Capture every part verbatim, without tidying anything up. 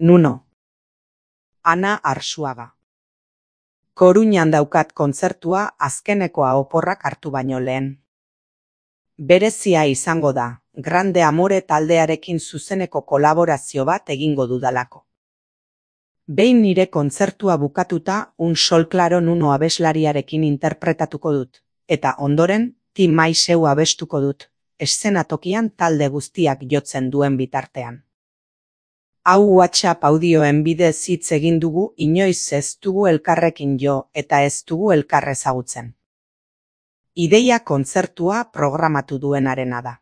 Nuno. Ana Arsuaga. Koruñan daukat kontzertua azkenekoa oporrak hartu baino lehen. Berezia izango da, Grande Amore taldearekin zuzeneko kolaborazio bat egingo dudalako. Behin nire kontzertua bukatuta Un Sol Claro Nuno abeslariarekin interpretatuko dut, eta ondoren Ti Maiseu abestuko dut, eszenatokian talde guztiak jotzen duen bitartean. Hau WhatsApp audioen bidez hitz egin dugu, inoiz ez dugu elkarrekin jo eta ez dugu elkar ezagutzen. Ideia kontzertua programatu duenarena da.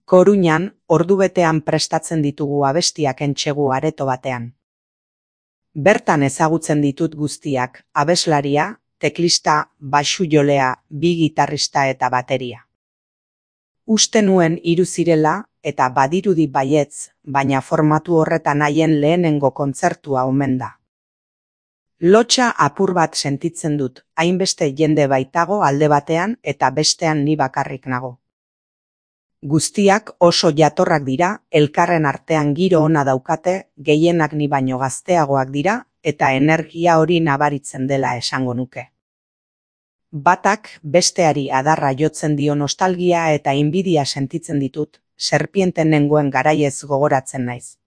Koruñan, ordubetean prestatzen ditugu abestiak entsegu areto batean. Bertan ezagutzen ditut guztiak, abeslaria, teklista, baxu-jolea, bi gitarrista eta bateria. Uste nuen hiru zirela, eta badirudi baietz, baina formatu horretan haien lehenengo kontzertua omen da. Lotsa apur bat sentitzen dut, hainbeste jende baitago alde batean eta bestean ni bakarrik nago. Guztiak oso jatorrak dira, elkarren artean giro ona daukate, gehienak ni baino gazteagoak dira, eta energia hori nabaritzen dela esango nuke. Batak besteari adarra jotzen dio nostalgia eta inbidia sentitzen ditut, serpienten nengoen garaiez gogoratzen naiz.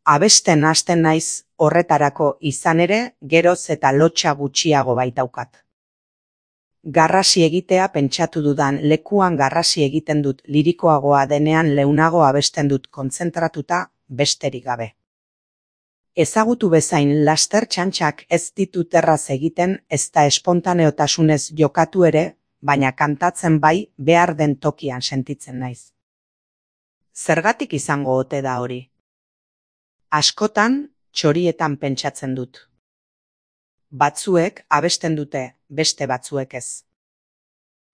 Abesten hasten naiz, horretarako izan ere, geroz eta lotsa gutxiago baitaukat. Garrasi egitea pentsatu dudan lekuan garrasi egiten dut, lirikoagoa denean leunago abesten dut kontzentratuta, besterik gabe. Ezagutu bezain laster txantxak ez ditut erraz egiten, ez da espontaneotasunez jokatu ere, baina kantatzen bai behar den tokian sentitzen naiz. Zergatik izango ote da hori? Askotan, txorietan pentsatzen dut. Batzuek abesten dute, beste batzuek ez.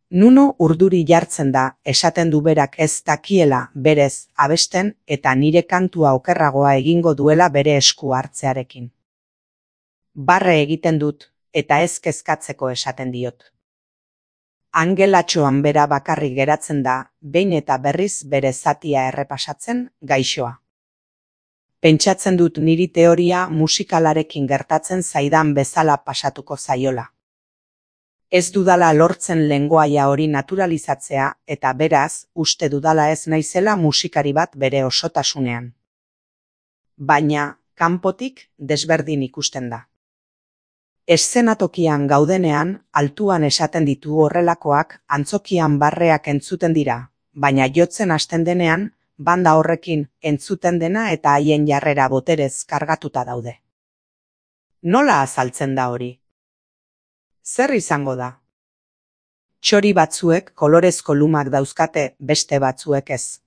Nuno urduri jartzen da, esaten du berak ez dakiela berez abesten eta nire kantua okerragoa egingo duela bere esku hartzearekin. Barre egiten dut, eta ez kezkatzeko esaten diot. Angelatxoan bera bakarrik geratzen da, behin eta berriz bere zatia errepasatzen, gaixoa. Pentsatzen dut niri teoria musikalarekin gertatzen zaidan bezala pasatuko zaiola. Ez dudala lortzen lengoaia hori naturalizatzea eta beraz, uste dudala ez naizela musikari bat bere osotasunean. Baina, kanpotik desberdin ikusten da. Eszenatokian gaudenean, altuan esaten ditu horrelakoak, antzokian barreak entzuten dira, baina jotzen hasten denean, banda horrekin entzuten dena eta haien jarrera boterez kargatuta daude. Nola azaltzen da hori? Zer izango da? Txori batzuek kolorezko lumak dauzkate, beste batzuek ez.